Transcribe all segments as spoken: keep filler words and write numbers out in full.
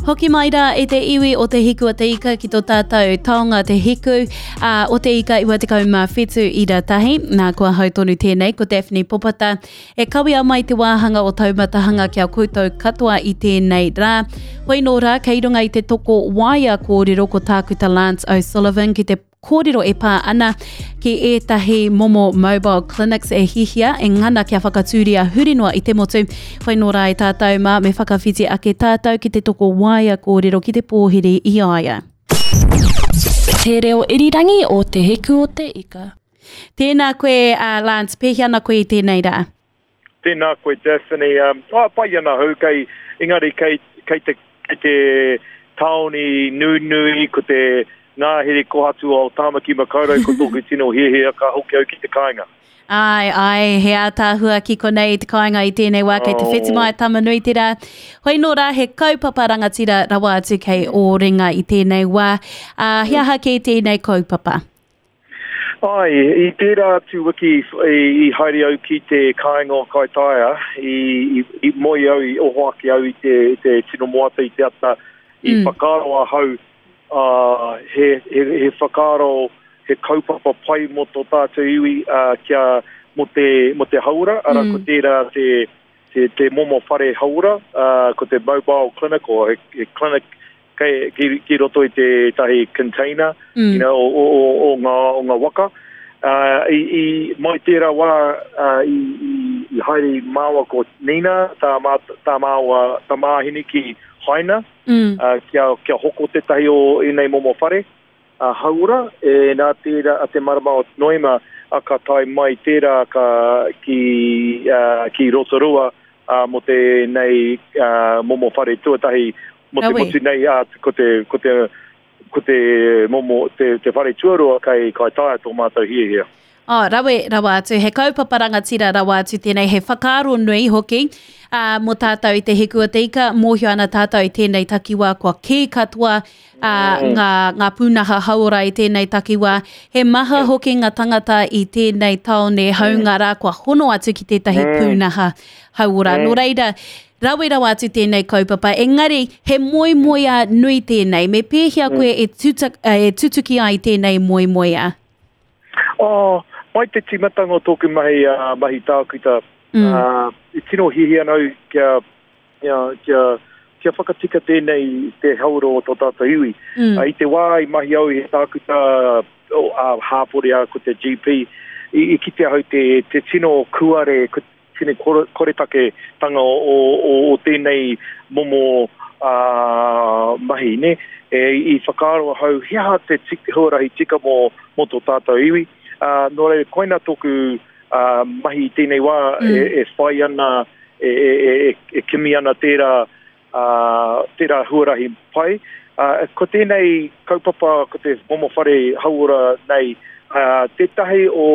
Hoki mai rā e te iwi o Te Hiku o Te Ika ki tō tātou taonga Te Hiku uh, o Te Ika iwa tekau mā whitu ira tahi. Nā, ko ahau tonu tēnei, ko Daphne Popata. E kawea mai te wāhanga o Taumatahanga ki a koutou katoa i tēnei rā. Hoi nō rā, kei runga i te toko waea kōrero ko Tākuta Lance O'Sullivan ki te kōrero e pā ana ki ētahi momo mobile clinics e hihia, e ngana kia whakatūria huri noa i te motu. Whai nō rā e tātou mā, me whakawhiti ake tātou ki te toko waea kōrero ki te pōhiri i a ia. Te reo irirangi o Te Hiku o Te Ika. Tēnā koe, uh, Lance, pēhea ana koe i tēnei rā? Tēnā koe, Daphne. Um, oh, pai ana hau, kei, engari kei, kei te, kei te tāoni nunui, ko te ngāhere kohatu o Tāmaki Makaurau, ko tōku tino hiahia ka hoki au ki te kāinga. Ai, ai, he ātaahua ki konei i te kāinga i tēnei wā, kei te Oh. whetumai Tamanui te rā. Hoi nō rā, he kaupapa rangatira rawa atu kei ō ringa i tēnei wā. Uh, he aha kē tēnei kaupapa? Ai, i tērā atu wiki i, i haere au ki te kāinga o Kaitaia, i, i, i moe au, i oho ake au i te, te tino moata i te ata, i Mm. whakaaro ahau, uh, he, he, he whakaaro, he kaupapa pai mō tō tātou iwi, uh, kia mō te, mō te hauora, ara Mm. ko tērā te, te, te momo whare hauora, uh, ko te mobile clinic o he, he clinic kei, ki, ki roto i te tahi container, Mm. you know, o, o, o, o, ngā, o ngā waka. Uh, i, i, mai tērā wā uh, i, i, i haere māua ko Nina, tā, mā, tā māua tamāhine ki Haina, Mm. uh, kia, kia hoko tētahi o ēnei momo whare uh, hauora, e nā tērā a te marama o Noema a ka tae mai tērā ka, ki, uh, ki Rotorua uh, mō tēnei uh, momo whare tuatahi mō te Rawe. motu nei, uh, ko te, ko te, ko te momo, te, te whare tuarua kei Kaitaia tō mātou hiahia. Oh, rawe rawa atu, he kaupapa rangatira rawa atu tēnei, he whakaaro nui hoki uh, mō tātou i te Hiku o Te Ika, mōhio ana tātou i tēnei takiwā, kua kī katoa uh, ngā, ngā pūnaha hauora i tēnei takiwā. He maha hoki ngā tangata i tēnei taone haunga rā, kua hono atu ki tētahi pūnaha hauora. Nō reira, rawe rawa atu tēnei kaupapa, engari he moemoeā nui tēnei. Me pēhea koe e, tuta, e tutuki ai tēnei moemoeā? Oh, mai te tīmatanga o tōku mahi, uh, mahi tākuta, Mm. uh, i tino hiahia nau kia, kia, kia, kia whakatika tēnei te hauora o tō tātou iwi. Mm. Uh, i te wā i mahi au i he tākuta o, uh, hāpori a ko te G P, i, i kite ahau te, te tino kuare, ko tino kore, koretake tanga o, o, o, o tēnei momo uh, mahi, ne? E, i whakaaro ahau, he aha te tik, huarahi tika mō, mō tō tātou iwi. Uh, nō reira, koina tōku uh, mahi i tēnei wā Mm. e, e whai ana, e, e, e, e, e kimi ana tērā, uh, tērā huarahi pai. Uh, ko tēnei kaupapa, ko te momo whare hauora nei, uh, tētahi o,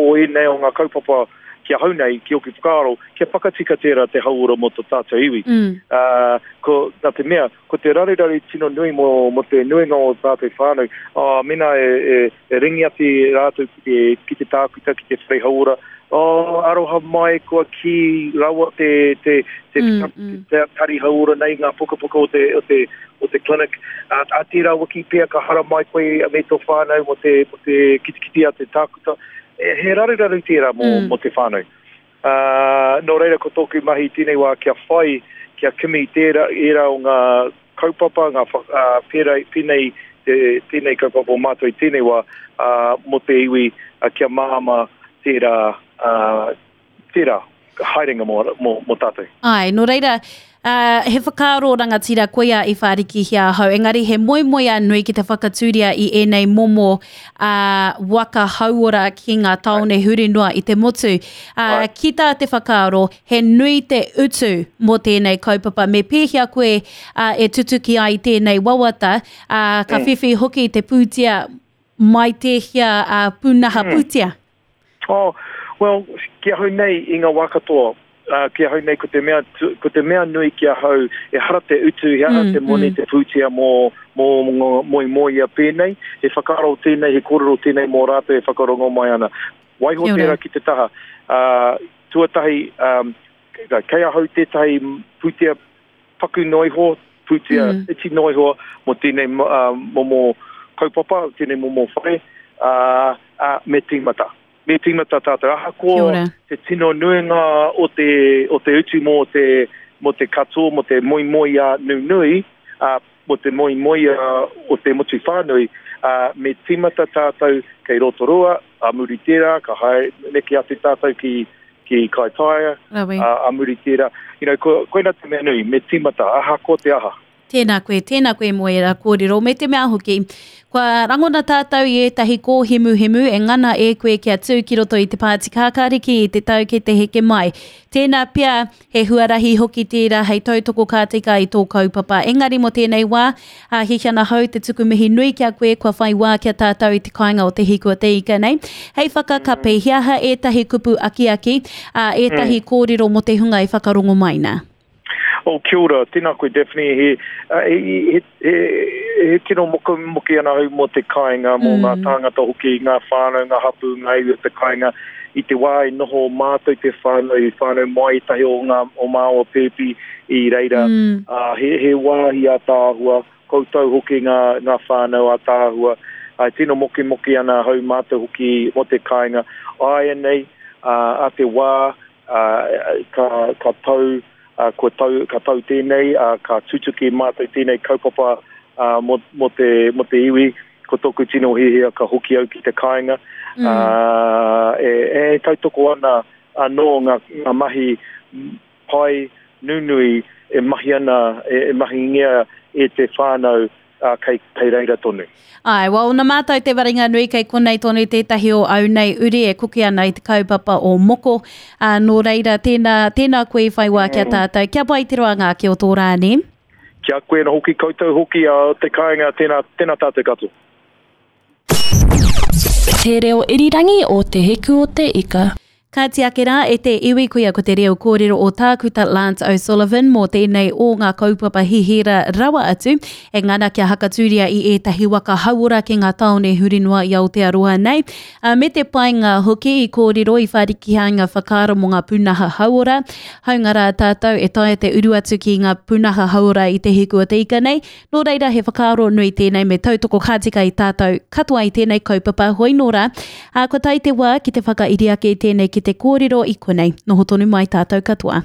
o ēnei o ngā kaupapa ki ahau nei, ki oku whakaaro, kia whakatika tērā te hauora mō tō tātou iwi. Mm. Uh, ko, nā te mea, ko te raruraru tino nui mō, mō te nuinga o tātou whānau, uh, mena e, e, e ringi atu rātou ki te, ki te tākuta, ki te whare hauora, oh, aroha mai kua ki rawa te, te, te, Mm, te, mm. te tari hauora nei, ngā pukapuka o te, o te, o te clinic. Uh, a tērā wiki pea ka hara mai koe me tō whānau mō te, mō te kitikiti a te tākuta. E, he raruraru tērā mō, Mm. mō te whānau. Uh, nō reira ko tōku mahi tēnei wā kia whai, kia kimi tērā, ērā o ngā kaupapa, ngā wha, uh, pērā, pēnei, te, tēnei kaupapa o mātou i tēnei wā, uh, mō te iwi, uh, kia māma tērā, uh, tērā haerenga mō, mō, mō tātou. Ai, nō reira, uh, he whakaaro rangatira koia i whārikihia ahau, engari he moemoeā nui ki te whakatūria i ēnei momo uh, waka hauora ki ngā taone huri noa i te motu. Uh, Ai. ki tā te whakaaro, he nui te utu mō tēnei kaupapa. Me pēhea koe uh, e tutuki ai tēnei wawata, uh, ka Mm. whiwhi hoki te pūtea mai tēhia uh, pūnaha Mm. pūtea. Oh, well, ki ahau nei i ngā wā katoa, uh, ki ahau nei ko te mea, tu, ko te mea nui ki ahau, e hara te utu, he hara Mm, te moni, mm. te pūtea mō, mō, mō, mō moia pēnei, he whakaaro tēnei, he kōrero tēnei mō rātou e whakarongo mai ana. Waiho Kia ora. tērā ki te taha. Uh, tuatahi, um, kei ahau tētahi pūtea paku noa iho, pūtea mm. iti noa iho mō tēnei uh, momo kaupapa, tēnei momo whare, uh, uh, me tīmata. Me tīmata tātou. Ahakoa te tino nuinga o te, o te utu mō te, mō te katoa, mō te moemoeā nunui, uh, mō te moemoeā o te motu whānui, uh, me tīmata tātou kei Rotorua, a muri tērā, ka haere neke atu tātou ki, ki Kaitaia, a, a muri tērā. You know, ko, koina te mea nui, me tīmata, ahakoa te aha. Tēnā koe, tēnā koe mō ērā kōrero, me te mea hoki, kua rangona tātou i ētahi kōhemuhemu e ngana e koe kia tū ki roto i te Pāti Kākāriki i te tau kei te heke mai. Tēnā pea, he huarahi hoki tērā hei tautoko ka tika i tō kaupapa. Engari mō tēnei wā, a hihi ana hau te tuku mihi nui ki a koe kua whai wā kia tātou i te kāinga o Te Hiku o Te Ika nei. Hei whakakape, he aha ētahi kupu akiaki, a ētahi kōrero mō te hunga i whakarongo mai nā? Oh, kia ora, tēnā koe Daphne, he, he, he, he, he tino mokemoke ana au mō te kāinga, mō mm. ngā tāngata hoki, ngā whānau, ngā hapū, ngā iwi o te kāinga. I te wā i noho mātou te whānau, i whānau mai tahi o ngā o māua pēpi i reira. Mm. Uh, he, he wāhi ātaahua, koutou hoki ngā, ngā whānau ātaahua. Uh, tino mokemoke ana hau mātou hoki mō te kāinga. Āianei, uh, a te wā, uh, ka, ka tau, Uh, kua tau, ka tau tēnei, uh, ka tutuki mātou tēnei kaupapa uh, mō, mō, te, mō te iwi, ko tōku tino hiahia ka hoki au ki te kāinga. Mm. Uh, e, e tautoko ana anō ngā, ngā mahi pai nunui e mahi ana, e, e mahingia e te whānau uh, kei, kei reira tonu. Ai, well, na mātou te waringa nui kei konei tonu tētahi o au nei uri e koke ana i te kaupapa o moko. Uh, nō reira, tēnā, tēnā koe i whai wā kia tātou. Kia pai te roanga ake o tō rā, nē? Kia koe na hoki koutou hoki uh, te kāinga, tēnā, tēnā tātou katoa. Te reo irirangi o Te Hiku o Te Ika. Ka tiake rā e te iwi koia ko te reo kōrero o Tākuta Lance O'Sullivan mō tēnei o ngā kaupapa hihira rawa atu e ngana kia hakatūria i ētahi waka hauora ki ngā tāone huri noa i Aotearoa nei. A, me te painga hoki i kōrero i whāriki ngā whakaaro mō ngā pūnaha hauora. Haunga rā tātou e taea te uru atu ki ngā pūnaha hauora i Te Hiku o Te Ika nei. Nō reira he whakaaro nui tēnei me tautoko ka tika i tātou katoa i tēnei kaupapa hoi nō rā. A, kua tae te wā ki te whakairi ake i tēnei ki te kōrero i konei. Noho tonu mai tātou katoa.